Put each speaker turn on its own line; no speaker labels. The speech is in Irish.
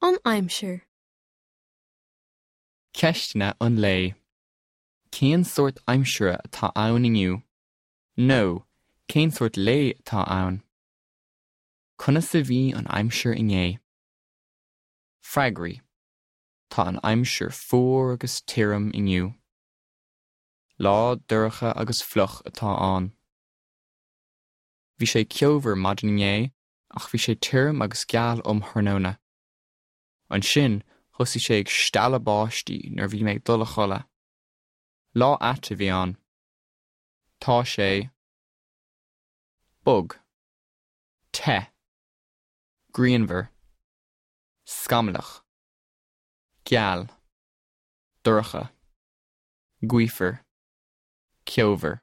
An aimsir.
Ceisteanna an lae. Cén sórt aimsire atá ann inniu? Nó, cén sórt lae atá ann? Conas a bhí an aimsir inné? Freagraí. Tá an aimsir fuar agus tirim inniu. Lá dorcha agus fliuch atá ann. Bhí sé ceomhar maidin inné ach bhí sé tirim agus geal um thráthnóna. Ansin thosaigh sé ag stealladh báistí nuair a bhí mé ag dul a chodladh. Lá ait a bhí ann. Tá sé. Bog. Te. Grianmhar. Scamallach. Geal. Dorcha. Gaofar. Ceomhar.